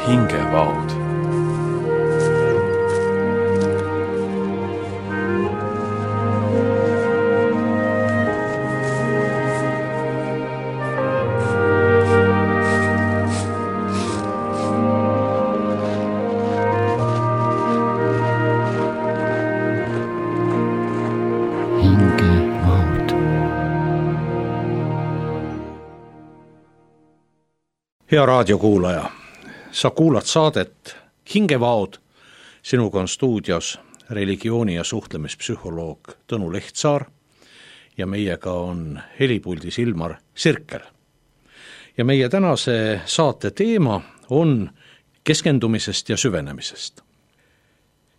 hingevaod. Hea raadiokuulaja, sa kuulad saadet Hingevaod. Sinuga on stuudios religiooni- ja suhtlemispsühholoog Tõnu Lehtsaar ja meiega on helipuldis Ilmar Sirkel. Ja meie tänase saate teema on keskendumisest ja süvenemisest.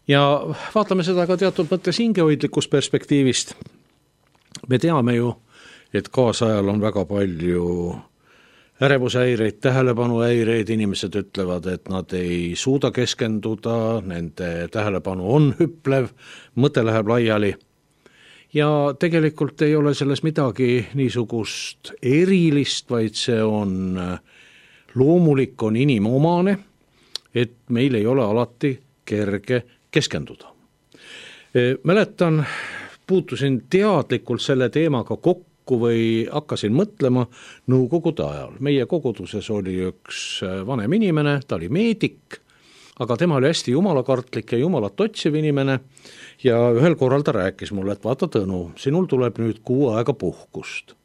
Ja vaatame seda ka teatud mõttes hingehoidlikust perspektiivist. Me teame ju, et kaasajal on väga palju ärevushäireid, tähelepanuhäireid, inimesed ütlevad, et nad ei suuda keskenduda, nende tähelepanu on hüplev, mõte läheb laiali. Ja tegelikult ei ole selles midagi niisugust erilist, vaid see on loomulik, on inimomane, et meil ei ole alati kerge keskenduda. Mäletan, puutusin teadlikult selle teemaga kokku või hakkasin mõtlema nõukogude ajal. Meie koguduses oli üks vanem inimene, ta oli meedik, aga tema oli hästi jumalakartlik ja jumalat otsiv inimene ja ühel korral ta rääkis mulle, et vaata Tõnu, sinul tuleb nüüd 6 aega puhkust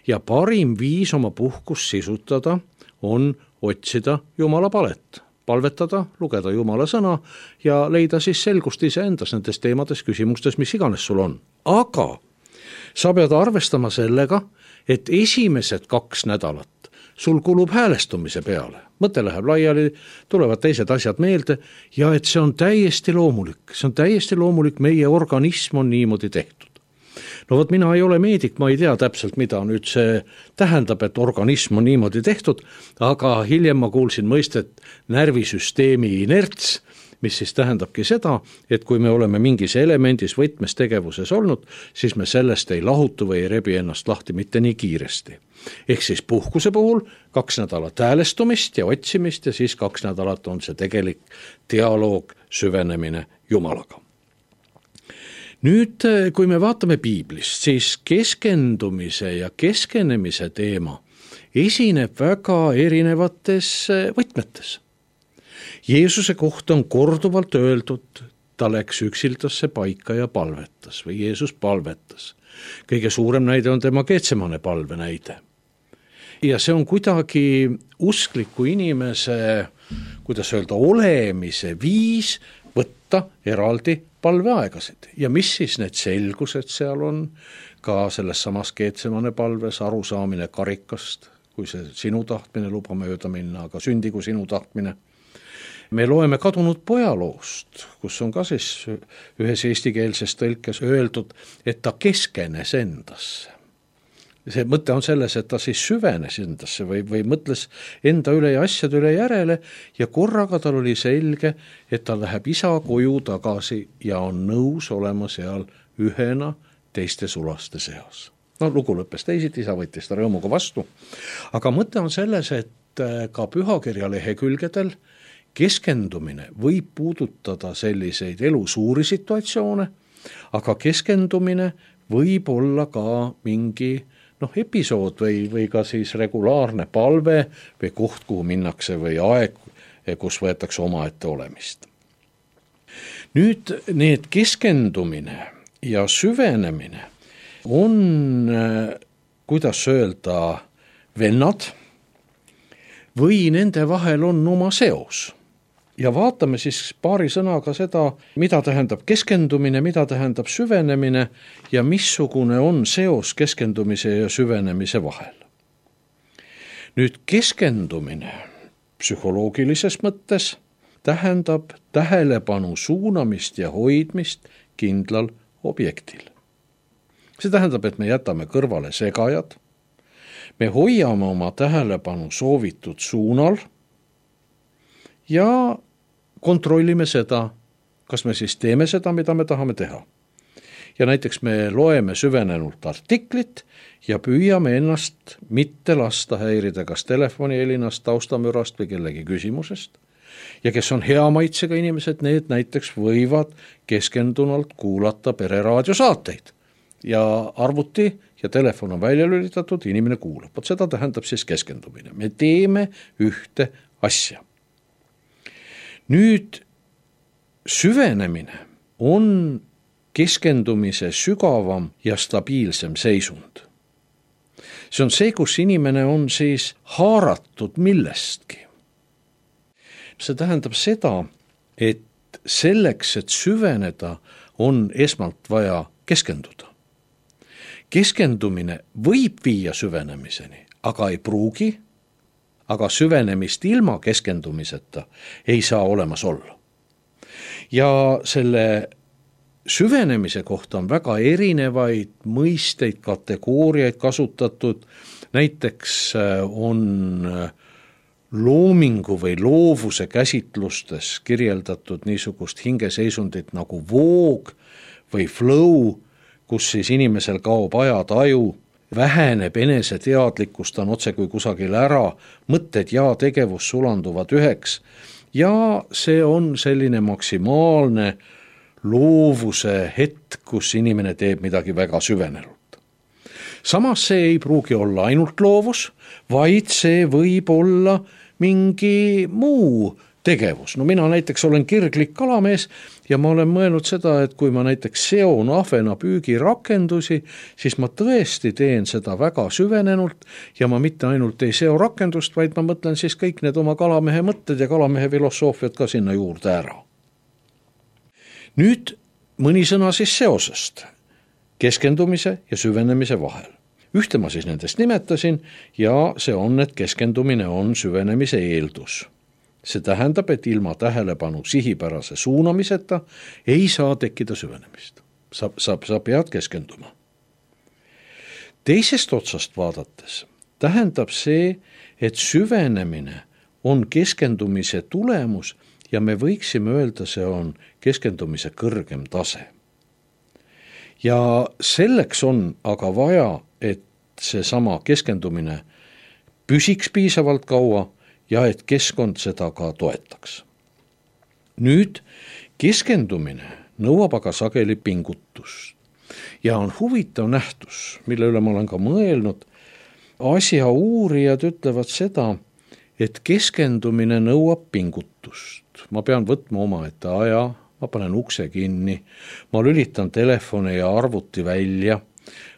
ja parim viis oma puhkust sisutada on otsida jumala palet, palvetada, lugeda jumala sõna ja leida siis selgust iseendas nendes teemades, küsimustes, mis iganes sul on. Aga sa pead arvestama sellega, et esimesed 2 nädalat sul kulub häälestumise peale. Mõte läheb laiali, tulevad teised asjad meelde ja et see on täiesti loomulik. See on täiesti loomulik, meie organism on niimoodi tehtud. No vot, mina ei ole meedik, ma ei tea täpselt, mida nüüd see tähendab, et organism on niimoodi tehtud, aga hiljem ma kuulsin mõistet närvisüsteemi inerts, mis siis tähendabki seda, et kui me oleme mingis elemendis võtmes tegevuses olnud, siis me sellest ei lahutu või ei rebi ennast lahti mitte nii kiiresti. Ehk siis puhkuse puhul 2 nädalat häälestumist ja otsimist ja siis 2 nädalat on see tegelik dialoog, süvenemine Jumalaga. Nüüd, kui me vaatame piiblist, siis keskendumise ja keskenemise teema esineb väga erinevates võtmetes. Jeesuse kohta on korduvalt öeldud, ta läks üksildasse paika ja palvetas või Jeesus palvetas. Kõige suurem näide on tema Getsemane palve näide. Ja see on kuidagi uskliku inimese, kuidas öelda, olemise viis võtta eraldi palveaegasid. Ja mis siis need selgused seal on, ka selles samas Getsemane palves arusaamine karikast, kui see sinu tahtmine luba mööda minna, aga sündigu sinu tahtmine. Me loeme kadunud pojaloost, kus on ka siis ühes eestikeelses tõlkes öeldud, et ta keskenes endasse. See mõte on selles, et ta siis süvenes endasse või mõtles enda üle ja asjade üle järele ja korraga tal oli selge, et ta läheb isa koju tagasi ja on nõus olema seal ühena teiste sulaste seas. No lugu lõppes teisiti, isa võttis ta rõõmuga vastu. Aga mõte on selles, et ka pühakirja lehekülgedel keskendumine võib puudutada selliseid elu suuri situatsioone, aga keskendumine võib olla ka mingi episood või ka siis regulaarne palve või koht, kuhu minnakse või aeg, kus võetakse omaette olemist. Nüüd need keskendumine ja süvenemine on, kuidas öelda, vennad või nende vahel on oma seos. Ja vaatame siis paari sõnaga seda, mida tähendab keskendumine, mida tähendab süvenemine ja missugune on seos keskendumise ja süvenemise vahel. Nüüd keskendumine psühholoogilises mõttes tähendab tähelepanu suunamist ja hoidmist kindlal objektil. See tähendab, et me jätame kõrvale segajad, me hoiame oma tähelepanu soovitud suunal ja kontrollime seda, kas me siis teeme seda, mida me tahame teha. Ja näiteks me loeme süvenenult artiklit ja püüame ennast mitte lasta häirida kas telefoni helinast, taustamürast või kellegi küsimusest. ja kes on hea maitsega inimesed, need näiteks võivad keskendunult kuulata pereraadiosaateid ja arvuti ja telefon on välja lülitatud, inimene kuulab. Vot seda tähendab siis keskendumine. Me teeme ühte asja. Nüüd süvenemine on keskendumise sügavam ja stabiilsem seisund. See on see, kus inimene on siis haaratud millestki. See tähendab seda, et selleks, et süveneda, on esmalt vaja keskenduda. Keskendumine võib viia süvenemiseni, aga ei pruugi, aga süvenemist ilma keskendumiseta ei saa olemas olla. Ja selle süvenemise kohta on väga erinevaid mõisteid, kategooriaid kasutatud. Näiteks on loomingu või loovuse käsitlustes kirjeldatud niisugust hingeseisundit nagu voog või flow, kus siis inimesel kaob ajataju, väheneb eneseteadlikkus, ta on otse kui kusagil ära, mõtted ja tegevus sulanduvad üheks ja see on selline maksimaalne loovuse hetk, kus inimene teeb midagi väga süvenenult. Samas see ei pruugi olla ainult loovus, vaid see võib olla mingi muu tegevus. No mina näiteks olen kirglik kalamees ja ma olen mõelnud seda, et kui ma näiteks seon ahvena püügirakendusi, siis ma tõesti teen seda väga süvenenult ja ma mitte ainult ei seo rakendust, vaid ma mõtlen siis kõik need oma kalamehe mõtted ja kalamehe filosoofiat ka sinna juurde ära. Nüüd mõni sõna siis seosest keskendumise ja süvenemise vahel. Ühte ma siis nendest nimetasin ja see on, et keskendumine on süvenemise eeldus. See tähendab, et ilma tähelepanu sihipärase suunamiseta ei saa tekkida süvenemist. Sa pead keskenduma. Teisest otsast vaadates tähendab see, et süvenemine on keskendumise tulemus ja me võiksime öelda, see on keskendumise kõrgem tase. Ja selleks on aga vaja, et seesama keskendumine püsiks piisavalt kaua ja et keskkond seda ka toetaks. Nüüd keskendumine nõuab aga sageli pingutust ja on huvitav nähtus, mille üle ma olen ka mõelnud. Asja uurijad ütlevad seda, et keskendumine nõuab pingutust. Ma pean võtma omaette aja, ma panen ukse kinni, ma lülitan telefoni ja arvuti välja,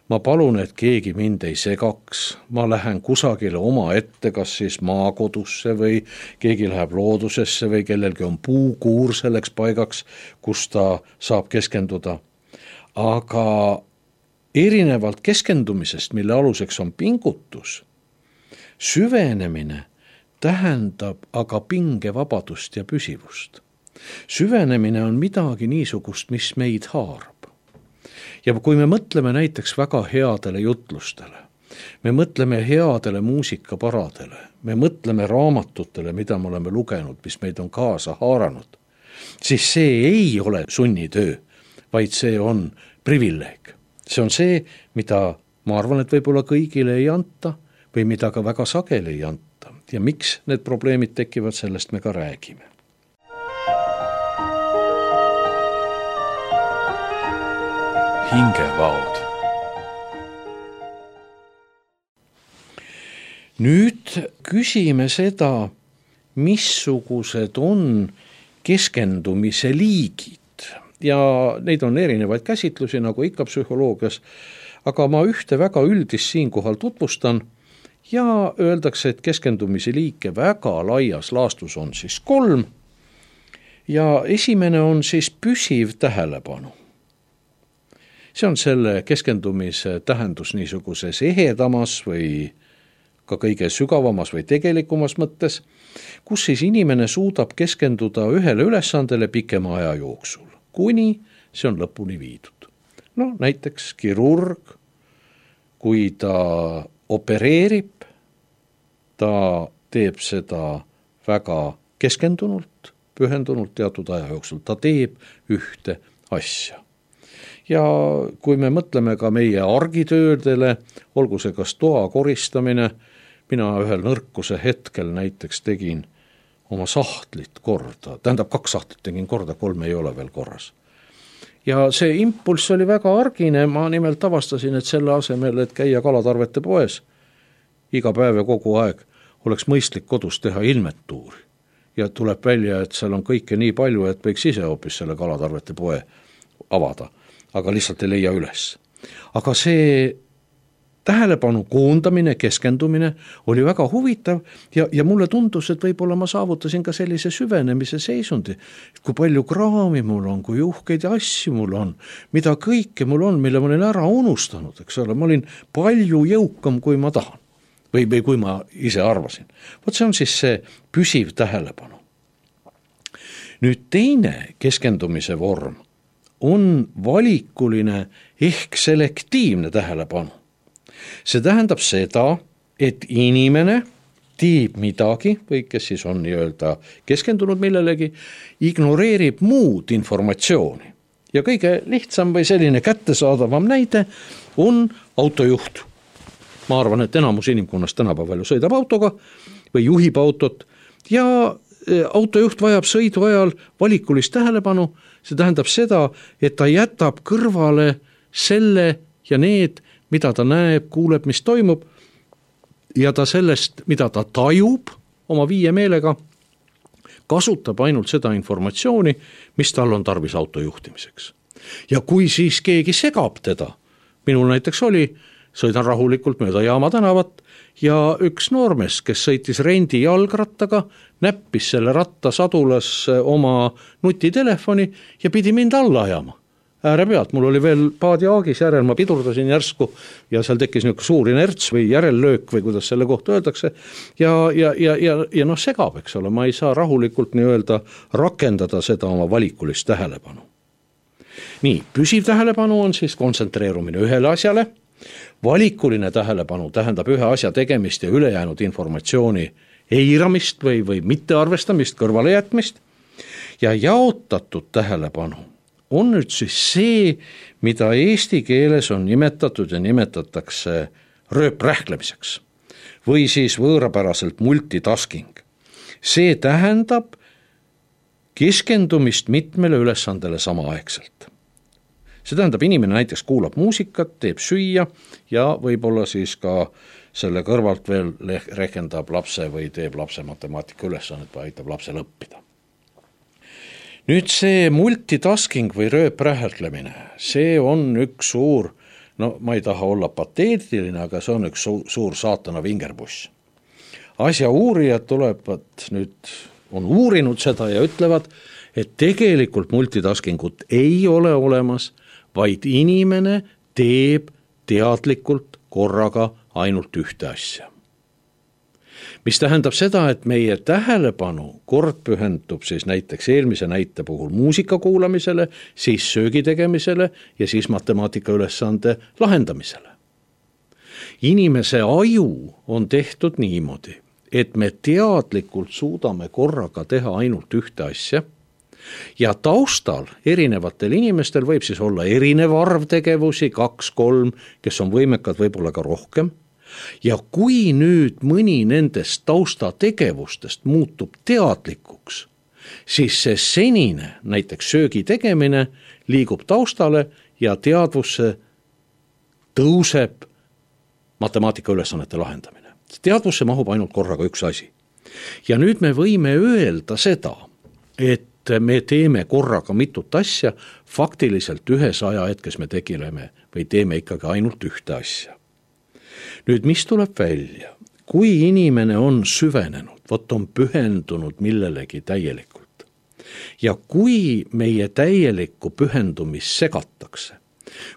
ma palun, et keegi mind ei segaks, ma lähen kusagile oma ette, kas siis maakodusse või keegi läheb loodusesse või kellelgi on puukuur selleks paigaks, kus ta saab keskenduda. Aga erinevalt keskendumisest, mille aluseks on pingutus, süvenemine tähendab aga pingevabadust ja püsivust. Süvenemine on midagi niisugust, mis meid haarab. Ja kui me mõtleme näiteks väga headele jutlustele, me mõtleme headele muusikaparadele, me mõtleme raamatutele, mida me oleme lugenud, mis meid on kaasa haaranud, siis see ei ole sunnitöö, vaid see on privileeg. See on see, mida ma arvan, et võib-olla kõigile ei anta või mida ka väga sageli ei anta. Ja miks need probleemid tekivad, sellest me ka räägime. Hingevaod. Nüüd küsime seda, missugused on keskendumise liigid ja neid on erinevaid käsitlusi, nagu ikka psühholoogias, aga ma ühte väga üldist siinkohal tutvustan ja öeldakse, et keskendumise liike väga laias laastus on siis 3 ja esimene on siis püsiv tähelepanu. See on selle keskendumise tähendus niisuguses ehedamas või ka kõige sügavamas või tegelikumas mõttes, kus siis inimene suudab keskenduda ühele ülesandele pikema aja jooksul, kuni see on lõpuni viidud. No näiteks kirurg, kui ta opereerib, ta teeb seda väga keskendunult, pühendunult teatud aja jooksul, ta teeb ühte asja. Ja kui me mõtleme ka meie argitöödele, olgu see kas toa koristamine, mina ühel nõrkuse hetkel näiteks tegin oma sahtlit korda, tähendab 2 sahtlit tegin korda, 3 ei ole veel korras. Ja see impulss oli väga argine, ma nimelt avastasin, et selle asemel, et käia kalatarvete poes iga päev ja kogu aeg, oleks mõistlik kodus teha inventuuri. Ja tuleb välja, et seal on kõike nii palju, et võiks ise hoopis selle kalatarvete poe avada, aga lihtsalt ei leia üles. Aga see tähelepanu koondamine, keskendumine oli väga huvitav ja mulle tundus, et võib-olla ma saavutasin ka sellise süvenemise seisundi, kui palju kraami mul on, kui uhkeid asju mul on, mida kõike mul on, mille ma olin ära unustanud, eks ole, ma olin palju jõukam, kui ma tahan või kui ma ise arvasin. Vot see on siis see püsiv tähelepanu. Nüüd teine keskendumise vorm on valikuline ehk selektiivne tähelepanu. See tähendab seda, et inimene teeb midagi või kes siis on nii-öelda keskendunud millelegi, ignoreerib muud informatsiooni. Ja kõige lihtsam või selline kättesaadavam näide on autojuht. Ma arvan, et enamus inimkonnast tänapäeval sõidab autoga või juhib autot ja autojuht vajab sõidu ajal valikulist tähelepanu. See tähendab seda, et ta jätab kõrvale selle ja need, mida ta näeb, kuuleb, mis toimub ja ta sellest, mida ta tajub oma 5 meelega, kasutab ainult seda informatsiooni, mis tal on tarvis auto juhtimiseks. Ja kui siis keegi segab teda, minul näiteks oli, sõidan rahulikult mööda Jaama tänavat ja üks noormees, kes sõitis rendi jalgrattaga, näppis selle ratta sadulas oma nutitelefoni ja pidi mind alla ajama. Ääre pealt, mul oli veel paadiaagis järel, ma pidurdasin järsku ja seal tekkis niisugune suur inerts või järellöök või kuidas selle kohta öeldakse ja noh segab, eks ole, ma ei saa rahulikult nii-öelda rakendada seda oma valikulist tähelepanu. Nii, püsiv tähelepanu on siis kontsentreerumine ühele asjale, valikuline tähelepanu tähendab ühe asja tegemist ja ülejäänud informatsiooni eiramist või mittearvestamist, kõrvalejätmist ja jaotatud tähelepanu on nüüd siis see, mida eesti keeles on nimetatud ja nimetatakse rööprähklemiseks või siis võõrapäraselt multitasking. See tähendab keskendumist mitmele ülesandele samaaegselt. See tähendab, inimene näiteks kuulab muusikat, teeb süüa ja võib-olla siis ka selle kõrvalt veel rehkendab lapse või teeb lapse matemaatika ülesannet või aitab lapsel õppida. Nüüd see multitasking või rööprähklemine, see on üks suur, no ma ei taha olla pateetiline, aga see on üks suur saatana vingerbuss. Asja uurijad tulevad nüüd, on uurinud seda ja ütlevad, et tegelikult multitaskingut ei ole olemas, vaid inimene teeb teadlikult korraga ainult ühte asja. Mis tähendab seda, et meie tähelepanu kord pühendub siis näiteks eelmise näite puhul muusika kuulamisele, siis söögi tegemisele ja siis matemaatika ülesande lahendamisele. Inimese aju on tehtud niimoodi, et me teadlikult suudame korraga teha ainult ühte asja ja taustal erinevatel inimestel võib siis olla erinev arv tegevusi, 2-3, kes on võimekad võib-olla ka rohkem. Ja kui nüüd mõni nendest taustategevustest muutub teadlikuks, siis see senine, näiteks söögi tegemine, liigub taustale ja teadvusse tõuseb matemaatika ülesannete lahendamine. Teadvusse mahub ainult korraga üks asi. Ja nüüd me võime öelda seda, et me teeme korraga mitut asja, faktiliselt ühes ajahetkes me tegeleme või teeme ikkagi ainult ühte asja. Nüüd, mis tuleb välja? Kui inimene on süvenenud, vot on pühendunud millelegi täielikult ja kui meie täielikku pühendumist segatakse,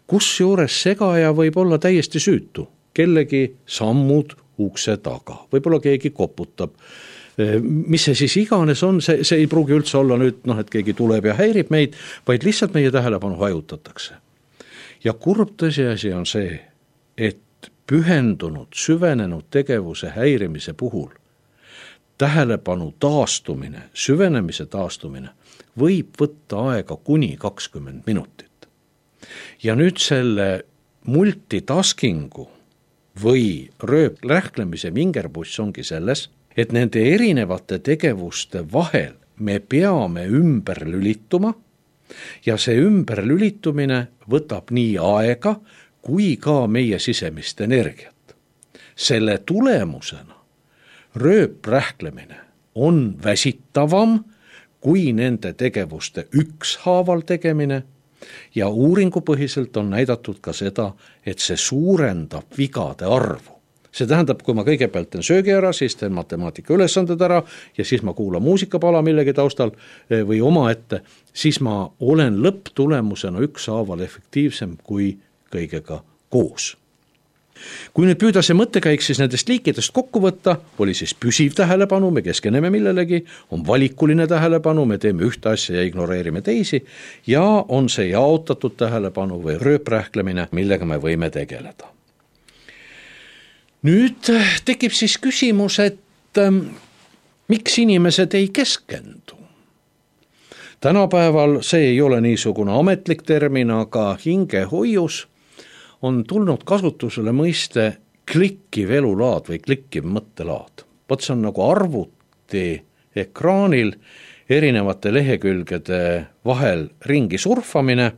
kus juures segaja võib olla täiesti süütu, kellegi sammud ukse taga, võib-olla keegi koputab, mis see siis iganes on, see ei pruugi üldse olla nüüd, et keegi tuleb ja häirib meid, vaid lihtsalt meie tähelepanu hajutatakse. Ja kurb tõsiasi on see, et pühendunud, süvenenud tegevuse häirimise puhul tähelepanu taastumine, süvenemise taastumine võib võtta aega kuni 20 minutit. Ja nüüd selle multitaskingu või rööprähklemise vingerbuss ongi selles, et nende erinevate tegevuste vahel me peame ümber lülituma ja see ümberlülitumine võtab nii aega kui ka meie sisemist energiat. Selle tulemusena rööprähklemine on väsitavam kui nende tegevuste ükshaaval tegemine ja uuringupõhiselt on näidatud ka seda, et see suurendab vigade arvu. See tähendab, kui ma kõigepealt teen söögi ära, siis teen matemaatika ülesanded ära ja siis ma kuulan muusikapala millegi taustal või omaette, siis ma olen lõpptulemusena ükshaaval efektiivsem kui kõigega koos. Kui nüüd püüda see mõttekäik siis nendest liikidest kokku võtta, oli siis püsiv tähelepanu, me keskeneme millelegi, on valikuline tähelepanu, me teeme ühte asja ja ignoreerime teisi ja on see jaotatud tähelepanu või rööprähklemine, millega me võime tegeleda. Nüüd tekib siis küsimus, et miks inimesed ei keskendu? Tänapäeval see ei ole niisugune ametlik termin, aga hingehoius on tulnud kasutusele mõiste klikkiv elulaad või klikkiv mõttelaad. Vot see on nagu arvuti ekraanil erinevate lehekülgede vahel ringi surfamine,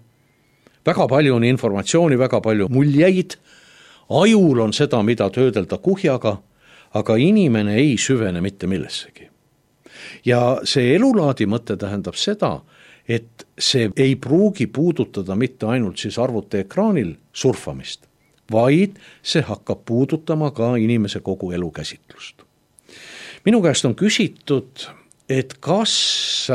väga palju on informatsiooni, väga palju muljeid, ajul on seda, mida töödelda kuhjaga, aga inimene ei süvene mitte millessegi. Ja see elulaadi mõte tähendab seda, et see ei pruugi puudutada mitte ainult siis arvuti ekraanil surfamist, vaid see hakkab puudutama ka inimese kogu elukäsitlust. Minu käest on küsitud, et kas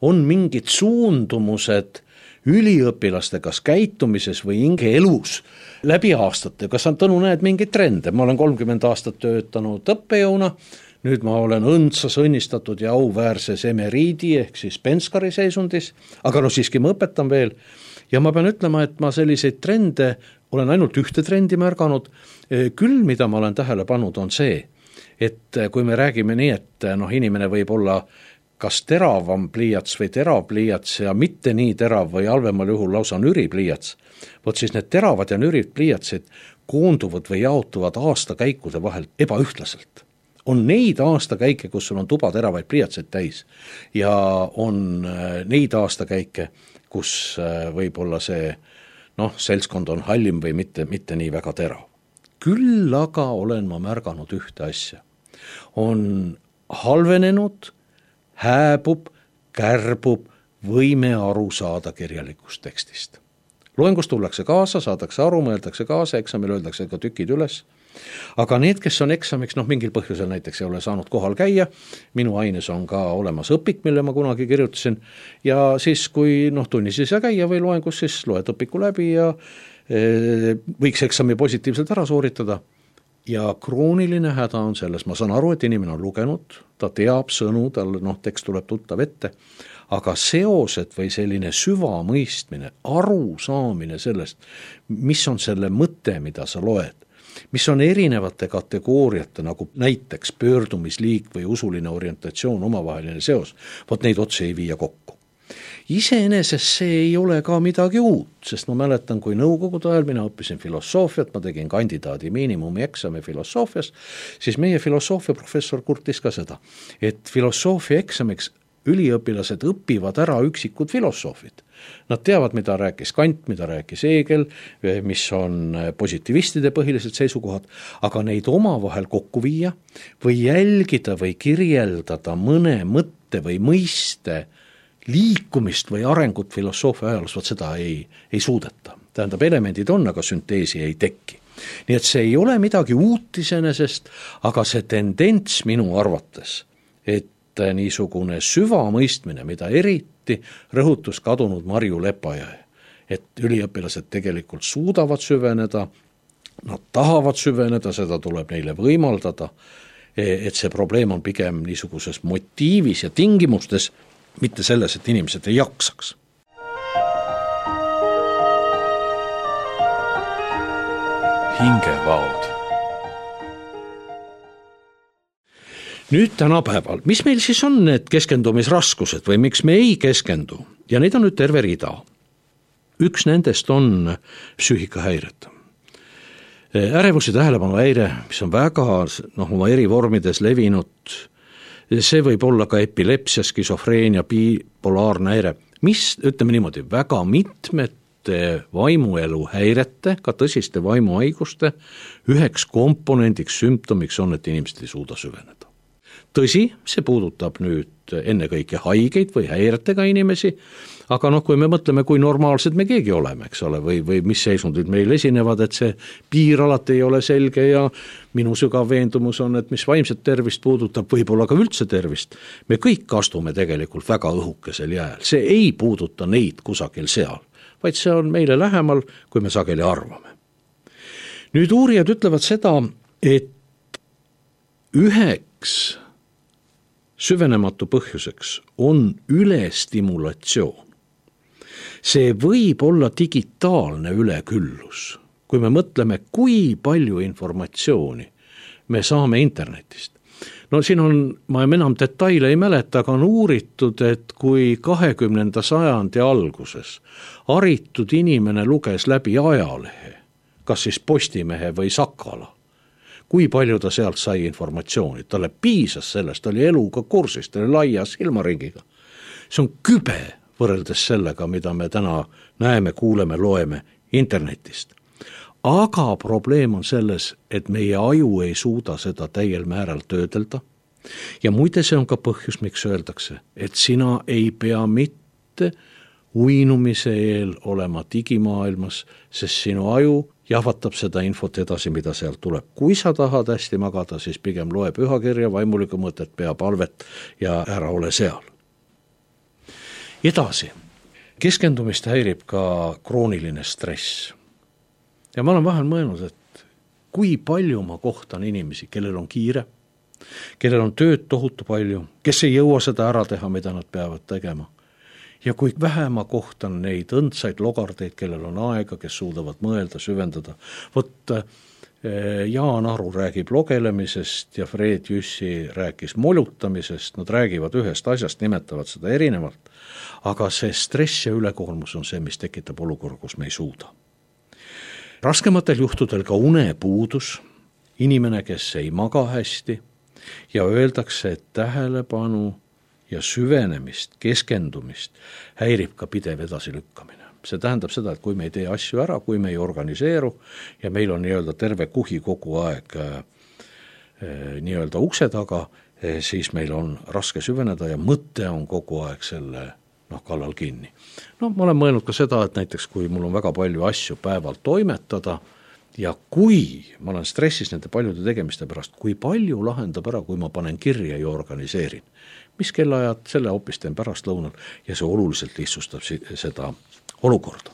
on mingid suundumused üliõpilaste kas käitumises või hingeelus läbi aastate, kas on Tõnu näed mingeid trende, ma olen 30 aastat töötanud õppejõuna, nüüd ma olen õndsas õnnistatud ja auväärses emeriidi ehk siis penskari seisundis, aga siiski ma õpetan veel ja ma pean ütlema, et ma selliseid trende olen ainult ühte trendi märganud, küll mida ma olen tähele pannud on see, et kui me räägime nii, et inimene võib olla kas teravam pliiats või terav pliiats ja mitte nii terav või halvemal juhul lausa nüri pliiats, vot siis need teravad ja nürid pliiatsid koonduvad või jaotuvad aastakäikude vahel ebaühtlaselt. On neid aastakäike, kus sul on tuba teravaid pliiatseid täis ja on neid aastakäike, kus võib-olla see seltskond on hallim või mitte nii väga terav. Küll aga olen ma märganud ühte asja. On halvenenud, hääbub, kärbub võime aru saada kirjalikust tekstist. Loengus tullakse kaasa, saadakse aru, mõeldakse kaasa, eksamil öeldakse ka tükid üles. Aga need, kes on eksamiks, mingil põhjusel näiteks ei ole saanud kohal käia, minu aines on ka olemas õpik, mille ma kunagi kirjutasin ja siis, kui tunnis ei saa käia või loengus, siis loed õpiku läbi ja võiks eksami positiivselt ära sooritada. Ja krooniline häda on selles, ma saan aru, et inimene on lugenud, ta teab sõnu, tal tekst tuleb tuttav ette, aga seosed või selline süvamõistmine, arusaamine sellest, mis on selle mõte, mida sa loed, mis on erinevate kategooriate, nagu näiteks pöördumisliik või usuline orientatsioon, omavaheline seos, vot neid otse ei viia kokku. Iseenesest see ei ole ka midagi uut, sest ma mäletan, kui nõukogude ajal mina õppisin filosoofiat, ma tegin kandidaadi miinimumi eksami filosoofias, siis meie filosoofia professor kurtis ka seda, et filosoofia eksamiks üliõpilased õpivad ära üksikud filosoofid. Nad teavad, mida rääkis Kant, mida rääkis Hegel, mis on positiivistide põhilised seisukohad, aga neid omavahel kokku viia või jälgida või kirjeldada mõne mõtte või mõiste liikumist või arengut filosoofia ajalus, vot seda ei suudeta. Tähendab, elemendid on, aga sünteesi ei teki. Nii et see ei ole midagi uut iseenesest, aga see tendents minu arvates, et niisugune süvamõistmine, mida eriti rõhutus kadunud Marju Lepajõe, et üliõpilased tegelikult suudavad süveneda, nad tahavad süveneda, seda tuleb neile võimaldada, et see probleem on pigem niisuguses motiivis ja tingimustes, mitte selles, et inimesed ei jaksaks. Hingevaod. Nüüd tänapäeval, mis meil siis on need keskendumisraskused või miks me ei keskendu? Ja neid on nüüd terve rida. Üks nendest on psüühikahäired. Ärevus ja tähelepanuhäire, mis on väga oma eri vormides levinud, see võib olla ka epilepsia, skisofreenia, bipolaarne häire, mis, ütleme niimoodi, väga mitmete vaimuelu häirete, ka tõsiste vaimuhaiguste üheks komponendiks, sümptomiks on, et inimesed ei suuda süveneda. Tõsi, see puudutab nüüd ennekõike haigeid või häiretega inimesi, aga kui me mõtleme, kui normaalsed me keegi oleme, eks ole, või mis seisundid meil esinevad, et see piir alati ei ole selge ja minu sügav veendumus on, et mis vaimset tervist puudutab, võib-olla ka üldse tervist, me kõik astume tegelikult väga õhukesel jääl, see ei puuduta neid kusagil seal, vaid see on meile lähemal, kui me sageli arvame. Nüüd uurijad ütlevad seda, et üheks süvenematu põhjuseks on ülestimulatsioon. See võib olla digitaalne üleküllus, kui me mõtleme, kui palju informatsiooni me saame internetist. Siin on, ma enam detaile ei mäleta, aga on uuritud, et kui 20. sajandi alguses haritud inimene luges läbi ajalehe, kas siis Postimehe või Sakala, kui palju ta sealt sai informatsiooni, talle piisas sellest, ta oli eluga kursis, ta oli laia silmaringiga. See on kübe võrreldes sellega, mida me täna näeme, kuuleme, loeme internetist. Aga probleem on selles, et meie aju ei suuda seda täiel määral töödelda. Ja muide, see on ka põhjus, miks öeldakse, et sina ei pea mitte uinumise eel olema digimaailmas, sest sinu aju jahvatab seda infot edasi, mida sealt tuleb. Kui sa tahad hästi magada, siis pigem loe pühakirja, vaimulikku mõtet, pea palvet ja ära ole seal. Edasi, keskendumist häirib ka krooniline stress. Ja ma olen vahel mõelnud, et kui palju ma kohtan inimesi, kellel on kiire, kellel on tööd tohutu palju, kes ei jõua seda ära teha, mida nad peavad tegema. Ja kui vähe ma kohtan neid õndsaid logardeid, kellel on aega, kes suudavad mõelda, süvendada. Jaan Aru räägib logelemisest ja Fred Jüssi rääkis molutamisest, nad räägivad ühest asjast, nimetavad seda erinevalt, aga see stress ja ülekoormus on see, mis tekitab olukorra, kus me ei suuda. Raskematel juhtudel ka unepuudus, inimene, kes ei maga hästi ja öeldakse, et tähelepanu ja süvenemist, keskendumist häirib ka pidev edasilükkamine. See tähendab seda, et kui me ei tee asju ära, kui me ei organiseeru ja meil on terve kuhi kogu aeg ukse taga, siis meil on raske süveneda ja mõte on kogu aeg selle kallal kinni. Ma olen mõelnud ka seda, et näiteks kui mul on väga palju asju päeval toimetada ja kui ma olen stressis nende paljude tegemiste pärast, kui palju lahendab ära, kui ma panen kirja ja organiseerin. Mis kellaajad, selle hoopis teen pärastlõunal ja see oluliselt lihtsustab seda olukorda.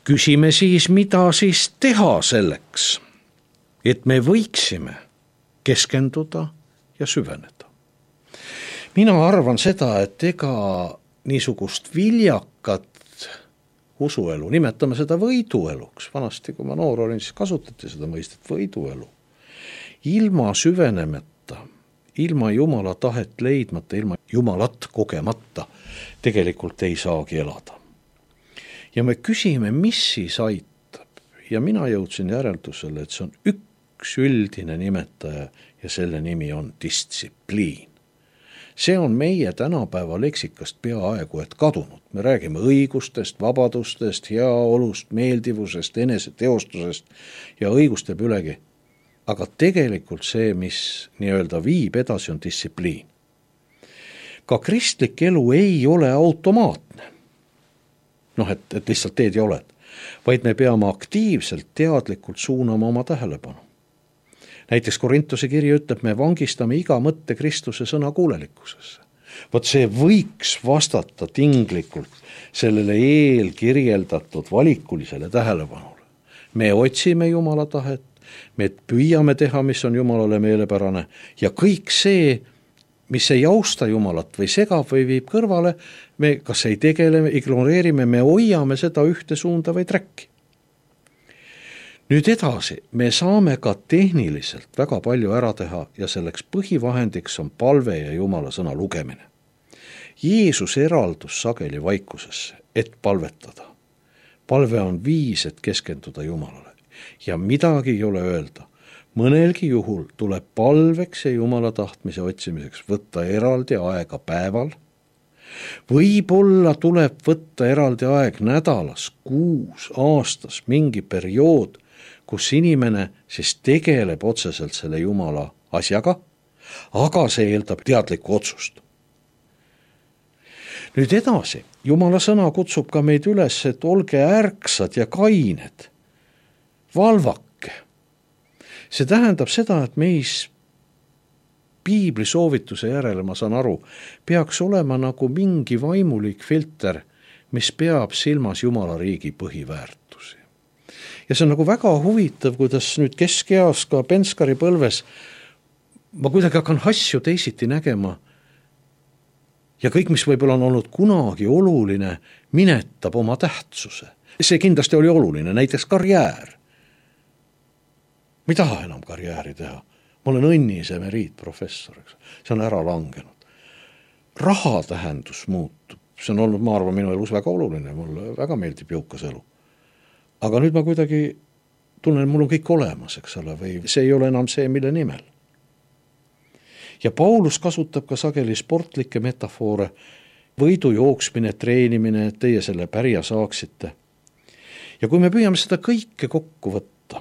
Küsime siis, mida siis teha selleks, et me võiksime keskenduda ja süveneda. Mina arvan seda, et ega niisugust viljakat usuelu, nimetame seda võidueluks, vanasti kui ma noor olin, siis kasutati seda mõistet võiduelu. Ilma süvenemata, ilma Jumala tahet leidmata, ilma Jumalat kogemata tegelikult ei saagi elada. Ja me küsime, mis siis aitab ja mina jõudsin järeldusele, et see on üks üldine nimetaja ja selle nimi on distsipliin. See on meie tänapäeva leksikast peaaegu et kadunud. Me räägime õigustest, vabadustest, heaolust, meeldivusest, eneseteostusest ja õigust teeb ülegi. Aga tegelikult see, mis viib edasi, on distsipliin. Ka kristlik elu ei ole automaatne. Et lihtsalt teed ja oled. Vaid me peame aktiivselt, teadlikult suunama oma tähelepanu. Näiteks Korintuse kiri ütleb, me vangistame iga mõtte Kristuse sõna kuulelikkusesse. See võiks vastata tinglikult sellele eelkirjeldatud valikulisele tähelepanule. Me otsime Jumala tahet, me püüame teha, mis on Jumalale meelepärane ja kõik see, mis ei austa Jumalat või segab või viib kõrvale, me kas ei tegele, ignoreerime, me hoiame seda ühte suunda või träkki. Nüüd edasi, me saame ka tehniliselt väga palju ära teha ja selleks põhivahendiks on palve ja Jumala sõna lugemine. Jeesus eraldus sageli vaikusesse, et palvetada. Palve on viis, et keskenduda Jumalale. ja midagi ei ole öelda. Mõnelgi juhul tuleb palveks ja Jumala tahtmise otsimiseks võtta eraldi aega päeval. Võib-olla tuleb võtta eraldi aeg nädalas, kuus, aastas, mingi periood, kus inimene siis tegeleb otseselt selle Jumala asjaga, aga see eeldab teadlikku otsust. Nüüd edasi, Jumala sõna kutsub ka meid üles, et olge ärksad ja kained, valvake. See tähendab seda, et meis piibli soovituse järele, ma saan aru, peaks olema nagu mingi vaimulik filter, mis peab silmas Jumala riigi põhiväärtusi. Ja see on nagu väga huvitav, kuidas nüüd keskeas ka Penskari põlves ma kuidagi hakkan asju teisiti nägema ja kõik, mis võib-olla on olnud kunagi oluline, minetab oma tähtsuse. See kindlasti oli oluline, näiteks karjäär. Ma ei taha enam karjääri teha. Ma olen õnnis emeriitprofessor, see on ära langenud. Raha tähendus muutub, see on olnud, ma arvan, minu elus väga oluline, mulle väga meeldib jõukas elu. Aga nüüd ma kuidagi tunnen, mul on kõik olemas, eks ole, või see ei ole enam see, mille nimel. Ja Paulus kasutab ka sageli sportlikke metafoore, võidu jooksmine, treenimine, et teie selle pärja saaksite. Ja kui me püüame seda kõike kokku võtta,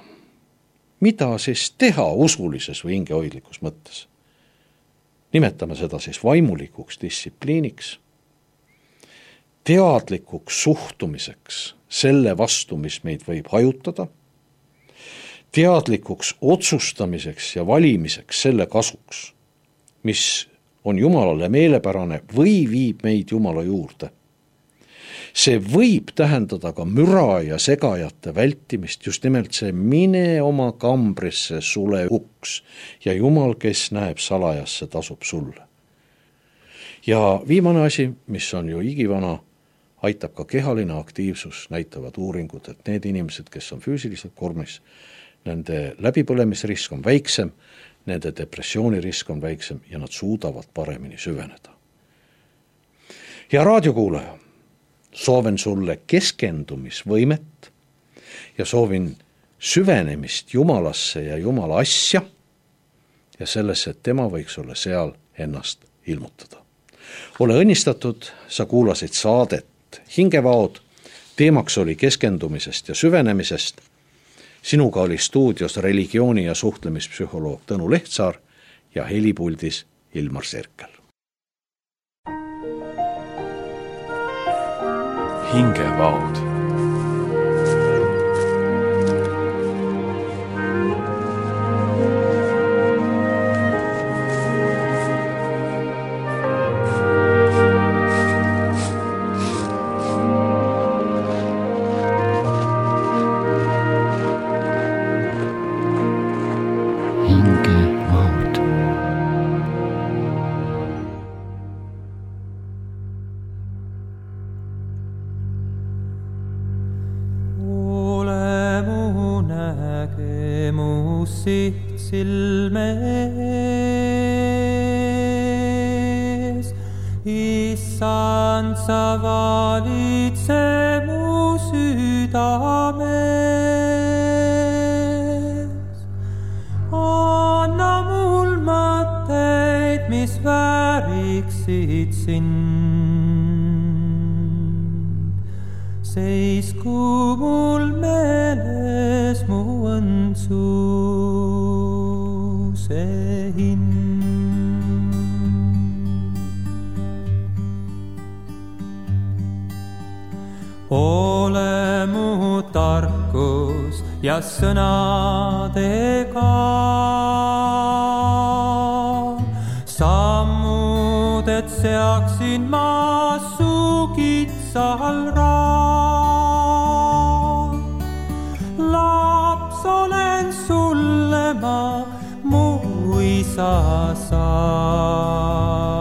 mida siis teha usulises või hingehoidlikus mõttes? Nimetame seda siis vaimulikuks distsipliiniks, teadlikuks suhtumiseks selle vastu, mis meid võib hajutada, teadlikuks otsustamiseks ja valimiseks selle kasuks, mis on Jumalale meelepärane või viib meid Jumala juurde. See võib tähendada ka müra ja segajate vältimist, just nimelt see mine oma kambrisse sule uks ja Jumal, kes näeb salajasse, tasub sulle. Ja viimane asi, mis on ju igivana, aitab ka kehaline aktiivsus, näitavad uuringud, et need inimesed, kes on füüsiliselt kormis, nende läbipõlemisrisk on väiksem, nende depressioonirisk on väiksem ja nad suudavad paremini süveneda. Ja raadiokuulaja, soovin sulle keskendumisvõimet ja soovin süvenemist Jumalasse ja Jumala asja ja sellesse, et tema võiks olla seal ennast ilmutada. Ole õnnistatud, sa kuulasid saadet Hingevaod, teemaks oli keskendumisest ja süvenemisest. Sinuga oli stuudios religiooni- ja suhtlemispsühholoog Tõnu Lehtsaar ja helipuldis Ilmar Serkel. Hingevaod. siht silmees. Issand, sa valitse mu südames. Anna mul mõtteid, mis vääriksid sind. Seisku mul meeles mu õndsuse hind. Ole mu tarkus ja sõnadega, sammud, et seaksin ma su kitsal raam. Laps olen sulle ma, mu isa saan.